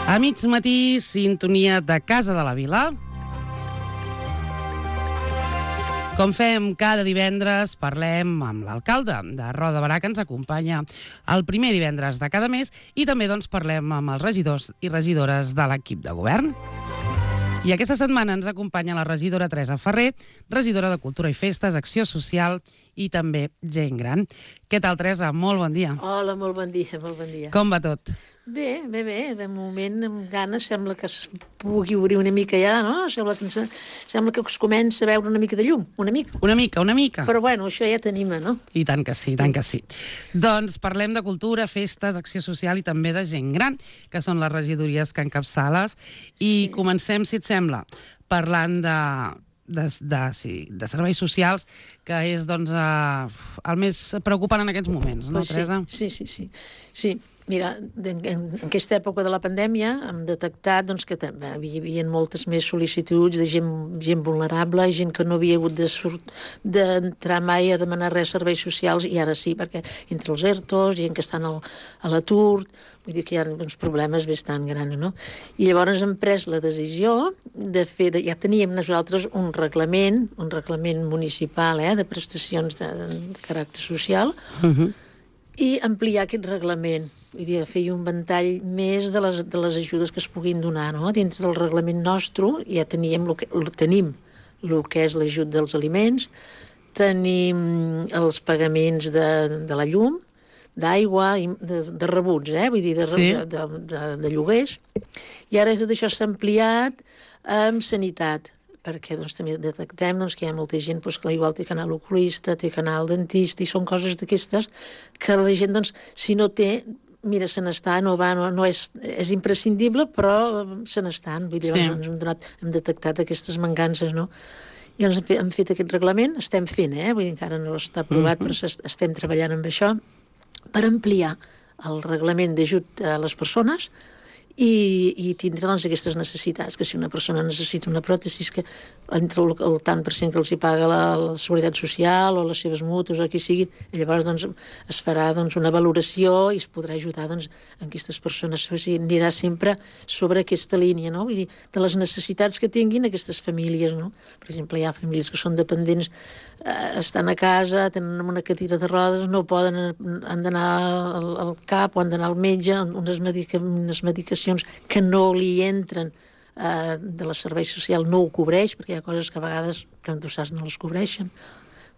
A mig matí, sintonia de Casa de la Vila. Com fem cada divendres, parlem amb l'alcalde de Roda de Berà, que ens acompanya el primer divendres de cada mes, i també parlem amb els regidors i regidores de l'equip de govern. I aquesta setmana ens acompanya la regidora Teresa Ferrer, regidora de Cultura i Festes, Acció Social i també Gent Gran. Què tal, Teresa? Molt bon dia. Hola, molt bon dia, molt bon dia. Com va tot? Bé. De moment, amb ganes, sembla que es pugui obrir una mica ja, no? Sembla que es comença a veure una mica de llum, una mica. Una mica. Però bueno, això ja t'anima, no? I tant que sí, tant que sí. Doncs parlem de cultura, festes, acció social i també de gent gran, que són les regidories que encapçales. I comencem, si et sembla, parlant de serveis socials, que és doncs, el més preocupant en aquests moments, no, Teresa? Sí. Mira, en aquesta època de la pandèmia hem detectat que hi havia moltes més sol·licituds de gent vulnerable, gent que no havia hagut d'entrar mai a demanar res serveis socials, i ara sí, perquè entre els ERTOs, gent que estan a l'atur, vull dir que hi ha uns problemes bastant grans, no? I llavors hem pres la decisió de fer, ja teníem nosaltres un reglament municipal de prestacions de caràcter social, i ampliar aquest reglament. Vull dir, fer un ventall més de les ajudes que es puguin donar, no? Dintre del reglament nostre ja tenim el que és l'ajut dels aliments, tenim els pagaments de la llum, d'aigua, de rebuts, vull dir, de lloguers, i ara tot això s'ha ampliat amb sanitat, perquè també detectem que hi ha molta gent que igual té que anar a l'oculista, té que anar al dentista, i són coses d'aquestes que la gent, si no té, mira, se n'està, no és imprescindible, però se n'estan. Vull dir, hem detectat aquestes mancances, no? I llavors hem fet aquest reglament, estem fent, vull dir, encara no està aprovat, però estem treballant amb això, per ampliar el reglament d'ajut a les persones i tindre aquestes necessitats, que si una persona necessita una pròtesi, que entre el tant per cent que els hi paga la Seguretat Social o les seves mútues o qui siguin, llavors es farà una valoració i es podrà ajudar aquestes persones. O sigui, anirà sempre sobre aquesta línia, no? Vull dir, de les necessitats que tinguin aquestes famílies, no? Per exemple, hi ha famílies que són dependents, estan a casa, tenen una cadira de rodes, no poden, han d'anar al CAP o han d'anar al metge, unes medicacions que no li entren de la servei social, no ho cobreix, perquè hi ha coses que a vegades, com tu saps, no les cobreixen.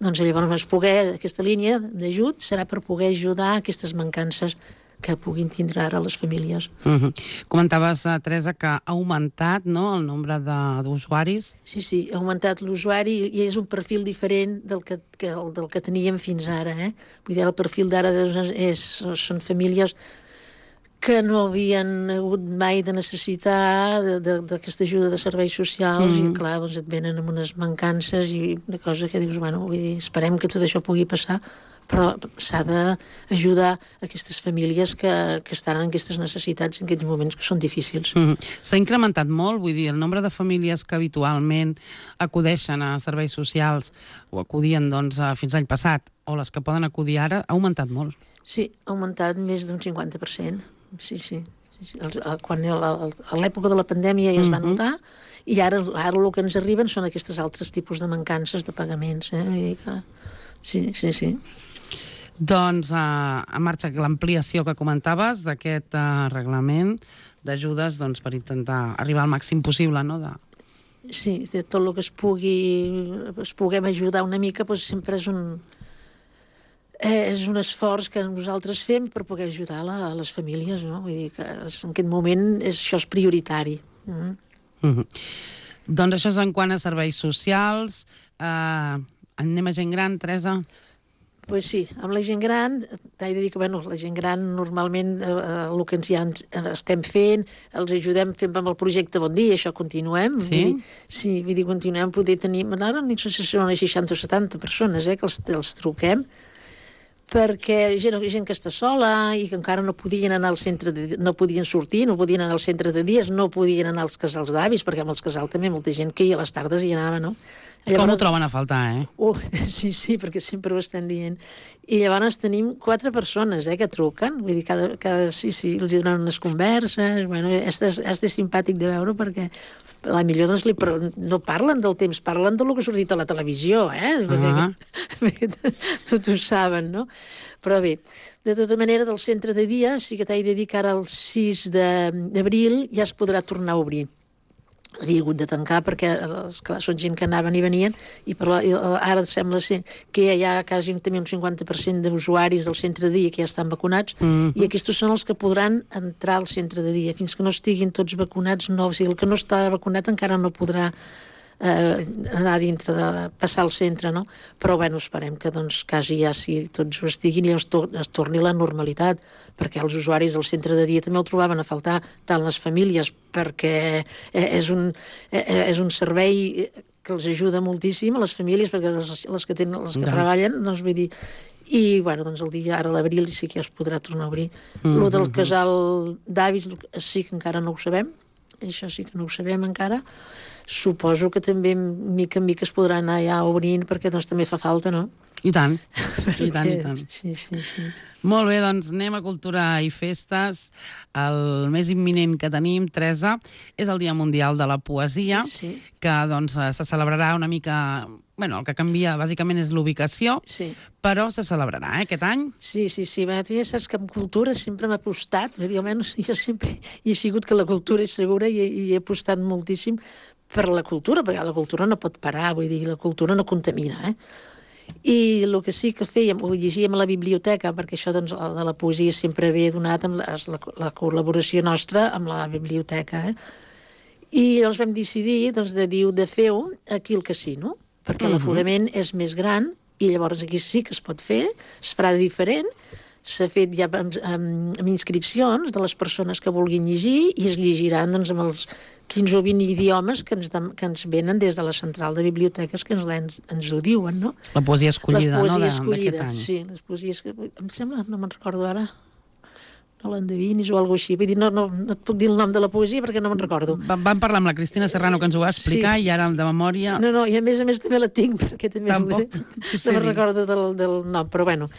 Doncs llavors aquesta línia d'ajut serà per poder ajudar a aquestes mancances que puguin tindre ara les famílies. Comentaves, Teresa, que ha augmentat el nombre d'usuaris. Sí, ha augmentat l'usuari i és un perfil diferent del que teníem fins ara. Vull dir, el perfil d'ara són famílies que no havien hagut mai de necessitar d'aquesta ajuda de serveis socials i, clar, et venen amb unes mancances i una cosa que dius, vull dir, esperem que tot això pugui passar, però s'ha d'ajudar aquestes famílies que estan en aquestes necessitats en aquests moments que són difícils. S'ha incrementat molt, vull dir, el nombre de famílies que habitualment acudeixen a serveis socials o acudien fins l'any passat, o les que poden acudir ara, ha augmentat molt. Sí, ha augmentat més d'un 50%. Sí. Quan a l'època de la pandèmia ja es va notar, i ara el que ens arriben són aquests altres tipus de mancances de pagaments. Vull dir que sí. Doncs en marxa l'ampliació que comentaves d'aquest reglament d'ajudes per intentar arribar al màxim possible, no? Sí, de tot el que es puguem ajudar una mica, sempre és un esforç que nosaltres fem per poder ajudar a les famílies, no? Vull dir que en aquest moment això és prioritari. Doncs això és en quant a serveis socials. Anem a gent gran, Teresa? Pues sí, amb la gent gran, t'he de dir que la gent gran normalment el que estem fent, els ajudem fent amb el projecte Bon Dia, això continuem. Sí? Vull dir, continuem poder tenir... Ara no sé si són unes 60 o 70 persones que els truquem, perquè gent que està sola i que encara no podien anar al centre, no podien sortir, no podien anar al centre de dies, no podien anar als casals d'avis, perquè amb els casals també molta gent que a les tardes hi anava, no? Llavors, com ho troben a faltar, Sí, perquè sempre ho estan dient. I llavors tenim 4 persones que truquen, vull dir, sí, els donen unes converses, bueno, és simpàtic de veure perquè millor doncs no parlen del temps, parlen del que ha sortit a la televisió, perquè tots ho saben, no? Però bé, de tota manera, del centre de dia sí que t'he de dir que ara el 6 d'abril ja es podrà tornar a obrir. Havia hagut de tancar perquè clar, són gent que anaven i venien i ara sembla ser que hi ha quasi també un 50% d'usuaris del centre de dia que ja estan vacunats i aquests són els que podran entrar al centre de dia. Fins que no estiguin tots vacunats, no, o sigui, el que no està vacunat encara no podrà anar dintre de passar al centre, no? Però bueno, esperem que doncs quasi ja si tots ho estiguin i es torni la normalitat, perquè els usuaris del centre de dia també el trobaven a faltar, tant les famílies, perquè és un servei que els ajuda moltíssim a les famílies, perquè les que treballen, doncs vull dir, i bueno, doncs el dia, ara a l'abril sí que ja es podrà tornar a obrir. Lo del casal d'avis sí que encara no ho sabem, això sí que no ho sabem encara. Suposo que també mica en mica es podrà anar ja obrint perquè doncs també fa falta, no? I tant, i tant. Sí. Molt bé, doncs anem a Cultura i Festes. El més imminent que tenim, Teresa, és el Dia Mundial de la Poesia, que doncs se celebrarà una mica... Bueno, el que canvia bàsicament és l'ubicació, però se celebrarà aquest any. Sí. Bé, tu ja saps que en cultura sempre m'ha apostat, almenys jo sempre he sigut que la cultura és segura i he apostat moltíssim per la cultura, perquè la cultura no pot parar, vull dir, la cultura no contamina, I el que sí que fèiem, ho llegíem a la biblioteca, perquè això doncs, de la poesia sempre ve donat amb la col·laboració nostra amb la biblioteca, I llavors vam decidir de fer-ho aquí al casino, perquè l'aforament és més gran i llavors aquí sí que es pot fer, es farà diferent, s'ha fet ja amb inscripcions de les persones que vulguin llegir i es llegiran doncs, amb els 15 o 20 idiomes que ens venen des de la central de biblioteques que ens ho diuen, no? La poesia escollida, no? La poesia escollida, sí. Les poesies que... Em sembla, no me'n recordo ara, no l'endevinis o alguna cosa així. Vull dir, no et puc dir el nom de la poesia perquè no me'n recordo. Vam parlar amb la Cristina Serrano que ens ho va explicar i ara de memòria... No, i a més també la tinc perquè també no me'n recordo del nom, però bueno...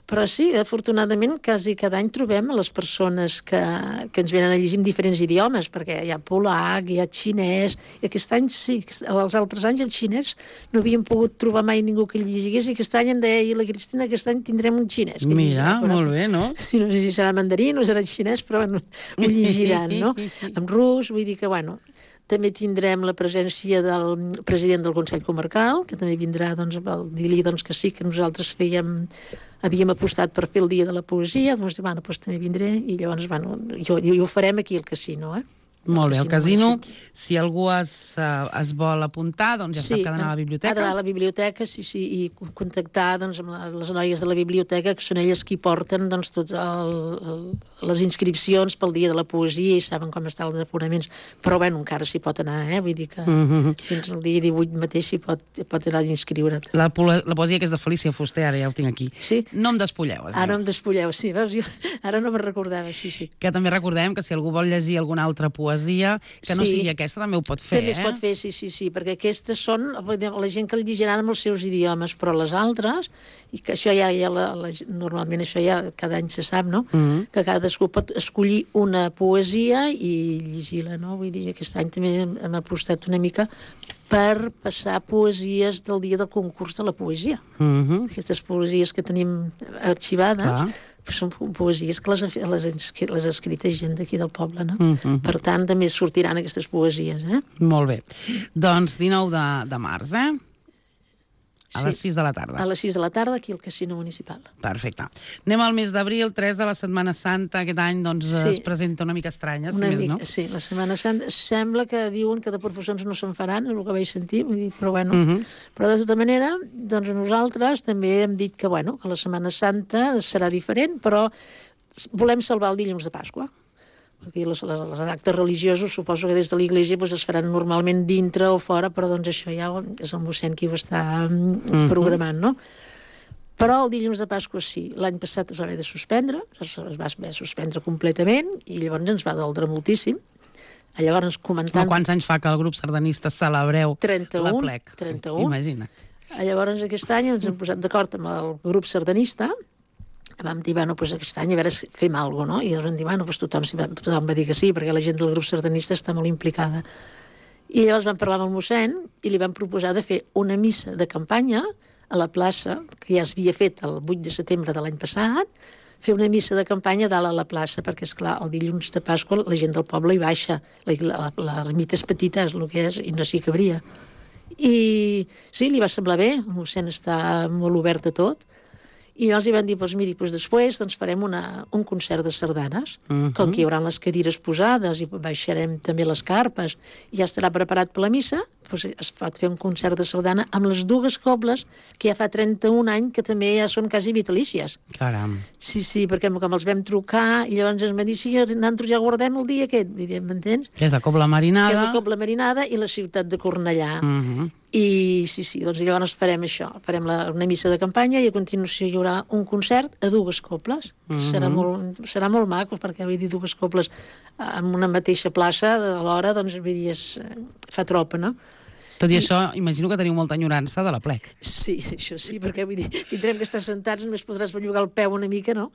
Però sí, afortunadament, quasi cada any trobem a les persones que ens venen a llegir en diferents idiomes, perquè hi ha polac, hi ha xinès, i aquest any sí, els altres anys el xinès no havíem pogut trobar mai ningú que el llegués, i aquest any em deia la Cristina que aquest any tindrem un xinès. Mira, molt bé, no? Sí, no sé si serà mandarí, no serà xinès, però bueno, ho llegiran, no? En rus, vull dir que, bueno... També tindrem la presència del president del Consell Comarcal, que també vindrà, doncs, a dir-li que sí, que nosaltres havíem apostat per fer el Dia de la Poesia, doncs també vindré, i llavors, ho farem aquí al casino, Molt bé, al casino, si algú es vol apuntar, doncs ja sap que ha d'anar a la biblioteca. Ha d'anar a la biblioteca, sí, i contactar amb les noies de la biblioteca, que són elles qui porten totes les inscripcions pel Dia de la Poesia i saben com estan els aforaments, però bueno, encara s'hi pot anar, vull dir que fins al dia 18 mateix s'hi pot anar a inscriure't. La poesia que és de Felícia Fuster, ara ja ho tinc aquí. Sí. No em despulleu, es diu. Ara em despulleu, sí, veus? Jo ara no me'n recordava, sí. Que també recordem que si algú vol llegir alguna altra poesia que no sigui aquesta, també ho pot fer, També es pot fer, sí, perquè aquestes són la gent que el llegiran amb els seus idiomes, però les altres, i que això normalment això ja cada any se sap, no? Que cadascú pot escollir una poesia i llegir-la, no? Vull dir, aquest any també hem apostat una mica per passar poesies del dia del concurs de la poesia. Aquestes poesies que tenim arxivades són poesies que les ha escrites gent d'aquí del poble, no? Per tant, també sortiran aquestes poesies, Molt bé. Doncs 19 de març, a les 6 de la tarda. A les 6 de la tarda, aquí al Casino Municipal. Perfecte. Anem al mes d'abril, 3 de la Setmana Santa. Aquest any doncs, es presenta una mica estranya, si més no. Sí, la Setmana Santa sembla que diuen que de professions no se'n faran, és el que vaig sentir, però bueno. Però de tota manera, doncs nosaltres també hem dit que, bueno, que la Setmana Santa serà diferent, però volem salvar el dilluns de Pasqua. Perquè els actes religiosos suposo que des de l'Església es faran normalment dintre o fora, però doncs això ja és el mossèn qui ho està programant, no? Però el dilluns de Pasqua sí. L'any passat es va haver de suspendre, es va haver de suspendre completament, i llavors ens va doldre moltíssim. Llavors, comentant... Quants anys fa que el grup sardanista celebreu la plec? 31. Imagina't. Llavors, aquest any ens hem posat d'acord amb el grup sardanista. Vam dir, bueno, doncs aquest any a veure si fem alguna cosa, no? I ens vam dir, bueno, doncs tothom va dir que sí, perquè la gent del grup sardanista està molt implicada. I llavors vam parlar amb el mossèn i li vam proposar de fer una missa de campanya a la plaça, que ja s'havia fet el 8 de setembre de l'any passat, fer una missa de campanya dalt a la plaça, perquè, esclar, el dilluns de Pasqua la gent del poble hi baixa, l'ermita és petita, és el que és, i no s'hi cabria. I sí, li va semblar bé, el mossèn està molt obert a tot, i llavors li van dir, doncs miri, després farem un concert de sardanes, com que hi haurà les cadires posades i baixarem també les carpes, i ja estarà preparat per la missa, doncs es pot fer un concert de sardana amb les dues cobles, que ja fa 31 anys que també ja són quasi vitalícies. Caram. Sí, perquè com els vam trucar, i llavors ens va dir, sí, nosaltres ja guardem el dia aquest, m'entens? Que és la Cobla Marinada. Que és la Cobla Marinada i la ciutat de Cornellà. I sí, doncs llavors farem això, farem una missa de campanya i a continuació hi haurà un concert a dues cobles. Serà molt maco, perquè vull dir, dues cobles en una mateixa plaça alhora, doncs vull dir, fa tropa, no? Tot i això, imagino que teniu molta enyorança de la plec. Sí, això sí, perquè vull dir, tindrem que estar sentats, només podràs bellugar el peu una mica, no?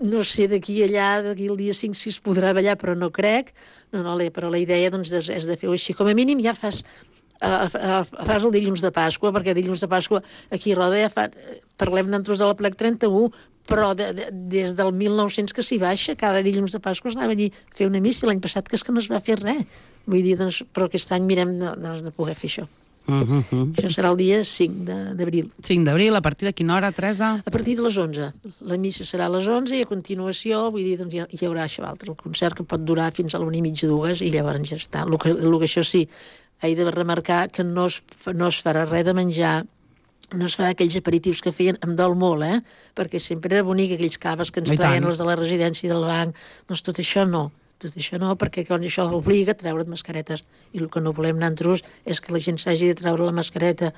No sé, d'aquí allà, d'aquí el dia 5 si es podrà ballar, però no crec. Però la idea doncs, és de fer-ho així. Com a mínim ja fas el dilluns de Pasqua, perquè dilluns de Pasqua aquí a Roda ja parlem nosaltres de la plec 31, però des del 1900 que s'hi baixa, cada dilluns de Pasqua es anava allí a fer una missa, l'any passat que és que no es va fer res. Vull dir, doncs, però aquest any mirem de poder fer això. Això serà el dia 5 d'abril. 5 d'abril, a partir de quina hora, Teresa? A partir de les 11. La missa serà a les 11 i a continuació, vull dir, doncs, hi haurà això altre, el concert que pot durar fins a l'1:30, 2, i llavors ja està. El que això sí, he de remarcar que no es farà res de menjar, no es farà aquells aperitius que feien, em dol molt, perquè sempre era bonic aquells caves que ens traien els de la residència del banc, doncs tot això no, perquè quan això obliga a treure't mascaretes, i el que no volem nosaltres és que la gent s'hagi de treure la mascareta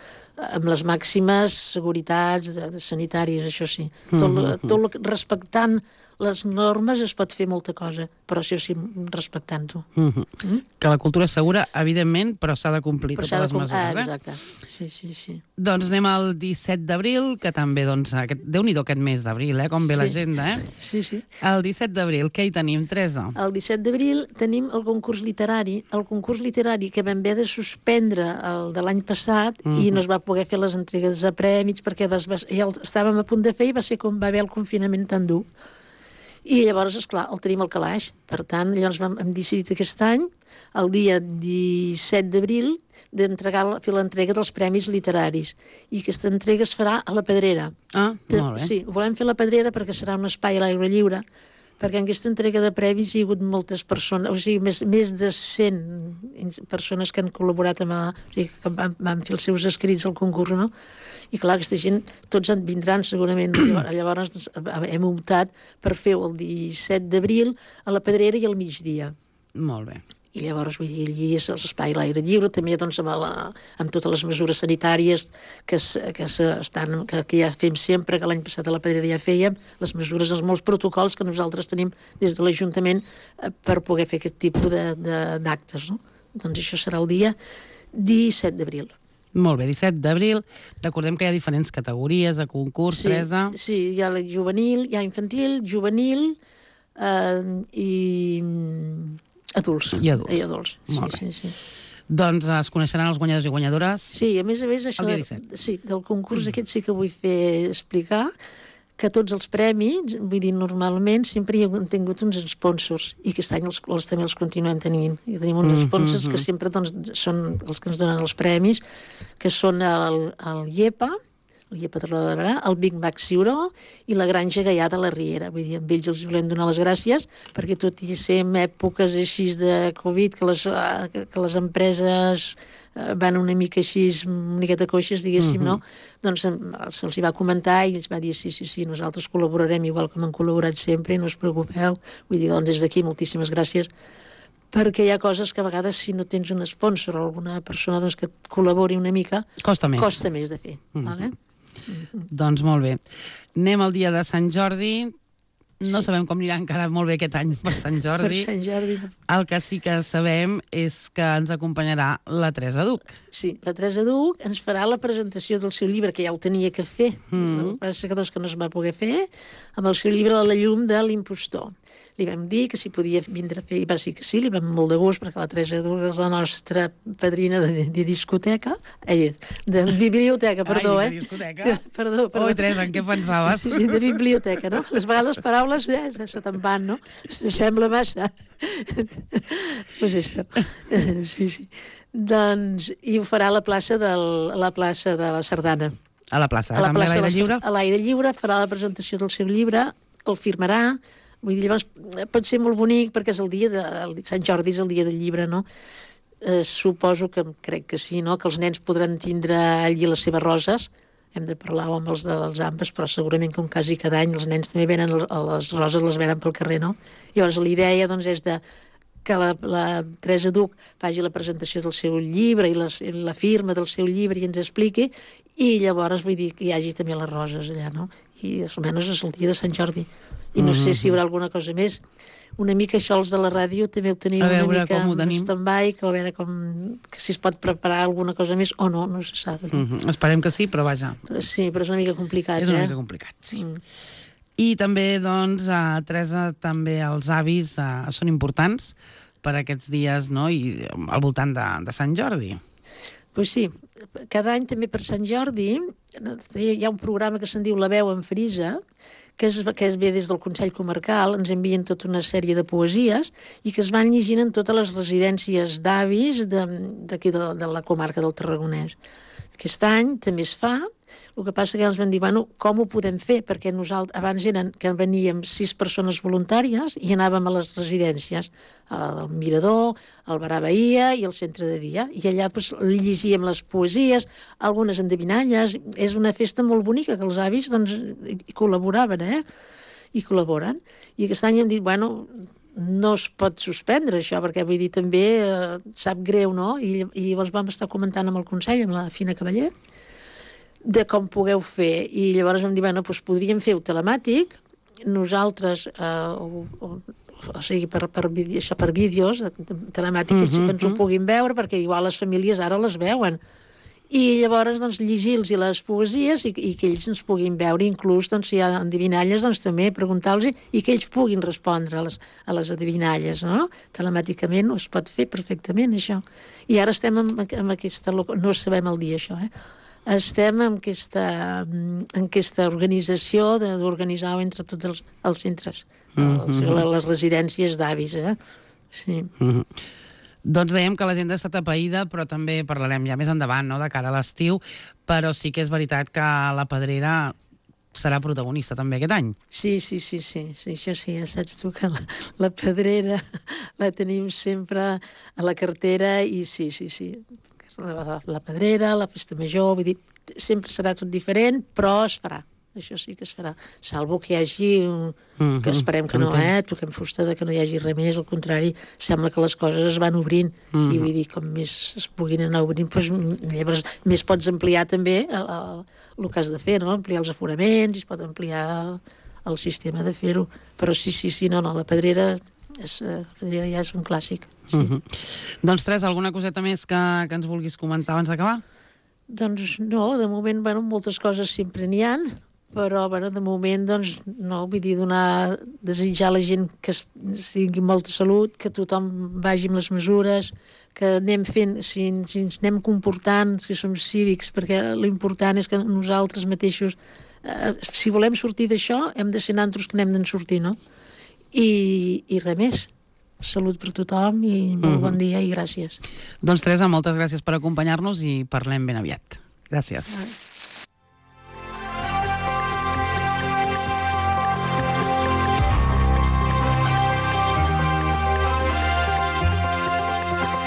amb les màximes seguretats sanitàries, això sí. Tot respectant les normes es pot fer molta cosa, però això sí, respectant-ho. Que la cultura és segura, evidentment, però s'ha de complir totes les mesures. Exacte, sí. Doncs anem al 17 d'abril, que també, doncs, Déu-n'hi-do aquest mes d'abril, com ve l'agenda, Sí. El 17 d'abril, què hi tenim, Teresa? El 17 d'abril tenim el concurs literari que vam haver de suspendre el de l'any passat i no es va poder fer les entregues de prèmits perquè ja el estàvem a punt de fer i va ser com va haver el confinament tan dur. I llavors, esclar, el tenim al calaix. Per tant, llavors hem decidit aquest any, el dia 17 d'abril, fer l'entrega dels premis literaris. I aquesta entrega es farà a la Pedrera. Molt bé. Sí, volem fer a la Pedrera perquè serà un espai a l'aire lliure, perquè en aquesta entrega de premis hi ha hagut moltes persones, o sigui, més de 100 persones que han col·laborat que van fer els seus escrits al concurs, no? I clar, aquesta gent, tots en vindran segurament. Llavors doncs, hem optat per fer el 17 d'abril a la Pedrera i al migdia. Molt bé. I llavors, vull dir, allí és l'espai a l'aire lliure, també doncs, amb totes les mesures sanitàries que ja fem sempre, que l'any passat a la Pedrera ja fèiem, les mesures, els molts protocols que nosaltres tenim des de l'Ajuntament per poder fer aquest tipus d'actes, no? Doncs això serà el dia 17 d'abril. Molt bé, 17 d'abril. Recordem que hi ha diferents categories de concurs, Teresa. Sí, hi ha la juvenil, hi ha infantil, juvenil i adults. I adults. Sí. Doncs es coneixeran els guanyadors i guanyadores. Sí, a més, això el dia 17. del concurs aquest sí que vull explicar que tots els premis, vull dir, normalment sempre hi han tingut uns sponsors i aquest any també els continuem tenint. I tenim uns sponsors que sempre doncs, són els que ens donen els premis, que són el IEPA, el IEPA de Roda de Berà, el Big Mac Ciuró i la Granja Gaià de la Riera. Vull dir, amb ells els volem donar les gràcies perquè tot i ser en èpoques així de Covid, que les empreses van una mica així, una miqueta coixes, diguéssim, no? Doncs se'ls va comentar i ells va dir sí, nosaltres col·laborarem igual com han col·laborat sempre, no us preocupeu. Vull dir, doncs des d'aquí moltíssimes gràcies, perquè hi ha coses que a vegades si no tens un sponsor o alguna persona doncs, que et col·labori una mica, costa més de fer. Vale? Doncs molt bé. Anem al dia de Sant Jordi. No sabem com anirà encara molt bé aquest any per Sant Jordi. Per Sant Jordi. El que sí que sabem és que ens acompanyarà la Teresa Duch. Sí, la Teresa Duch ens farà la presentació del seu llibre, que ja ho tenia que fer. El que passa que no es va poder fer, amb el seu llibre La llum de l'impostor. Li vam dir que si podia vindre a fer, i va dir que sí, li vam molt de gust, perquè la Teresa Duch és la nostra padrina de discoteca, de biblioteca, perdó, de discoteca? Perdó. Oi, Teresa, en què pensaves? Sí, de biblioteca, no? Les vegades les paraules, això te'n van, no? Sembla massa. Pues això. Sí. Doncs, i ho farà a la plaça de la Sardana. A la plaça, també a l'aire lliure? A l'aire lliure, farà la presentació del seu llibre, el firmarà. Vull dir, llavors pot ser molt bonic perquè és el dia de Sant Jordi, és el dia del llibre, no? Suposo que, crec que sí, no? Que els nens podran tindre allí les seves roses. Hem de parlar amb els dels AMPAs, però segurament com quasi cada any els nens també venen, les roses les venen pel carrer, no? Llavors l'idea doncs és que la Teresa Duch faci la presentació del seu llibre i la firma del seu llibre i ens expliqui, i llavors vull dir que hi hagi també les roses allà, no? I almenys és el dia de Sant Jordi. I no sé si hi haurà alguna cosa més. Una mica això els de la ràdio també ho tenim una mica en stand-by, que a veure que si es pot preparar alguna cosa més o no se sap. Esperem que sí, però vaja. Sí, però és una mica complicat, És una mica complicat, sí. I també, doncs, Teresa, també els avis són importants per aquests dies, no?, i al voltant de Sant Jordi. Pues sí, cada any també per Sant Jordi hi ha un programa que se'n diu La veu en frisa, que es ve des del Consell Comarcal, ens envien tota una sèrie de poesies i que es van llegint en totes les residències d'avis d'aquí de la comarca del Tarragonès. Aquest any també es fa, el que passa que ens van dir, bueno, com ho podem fer? Perquè nosaltres, abans eren que veníem 6 persones voluntàries i anàvem a les residències, al Mirador, al Barà Bahia i al Centre de Dia, i allà doncs, llegíem les poesies, algunes endevinalles. És una festa molt bonica, que els avis doncs, hi col·laboraven, i col·laboren. I aquest any hem dit, bueno, no es pot suspendre això, perquè vull dir, també sap greu, no? I llavors vam estar comentant amb el Consell, amb la Fina Cavaller, de com pugueu fer. I llavors vam dir, bueno, doncs podríem fer-ho telemàtic, nosaltres, o sigui, per vídeos telemàtics, que ens ho puguin veure, perquè igual les famílies ara les veuen. I llavors doncs, llegir-los les poesies i que ells ens puguin veure, inclús doncs, si hi ha endevinalles, doncs, també preguntar-los i que ells puguin respondre a les endevinalles, no? Telemàticament es pot fer perfectament, això. I ara estem amb aquesta... No sabem el dia, això, Estem en aquesta organització d'organitzar entre tots els centres, les residències d'avis, Sí. Doncs dèiem que l'agenda està atapeïda, però també parlarem ja més endavant, no?, de cara a l'estiu, però sí que és veritat que la Pedrera serà protagonista també aquest any. Sí, això sí, ja saps tu que la Pedrera la tenim sempre a la cartera i sí. La Pedrera, la Festa Major, vull dir, sempre serà tot diferent, però es farà. Això sí que es farà, salvo que hi hagi, que esperem que no, toquem fusta de que no hi hagi res més, al contrari, sembla que les coses es van obrint, i vull dir, com més es puguin anar obrint, doncs llavors més pots ampliar també el que has de fer, no? Ampliar els aforaments, es pot ampliar el sistema de fer-ho, però sí, no, la Pedrera ja és un clàssic. Sí. Doncs, Teresa, alguna coseta més que ens vulguis comentar abans d'acabar? Doncs no, de moment, moltes coses sempre n'hi ha, però de moment, doncs, no, vull dir, desitjar a la gent que tingui molta salut, que tothom vagi amb les mesures, que anem fent, si ens anem comportant, que som cívics, perquè l'important és que nosaltres mateixos si volem sortir d'això, hem de ser nosaltres que n'hem d'en sortir, no? I res més. Salut per tothom i molt bon dia i gràcies. Doncs Teresa, moltes gràcies per acompanyar-nos i parlem ben aviat. Gràcies.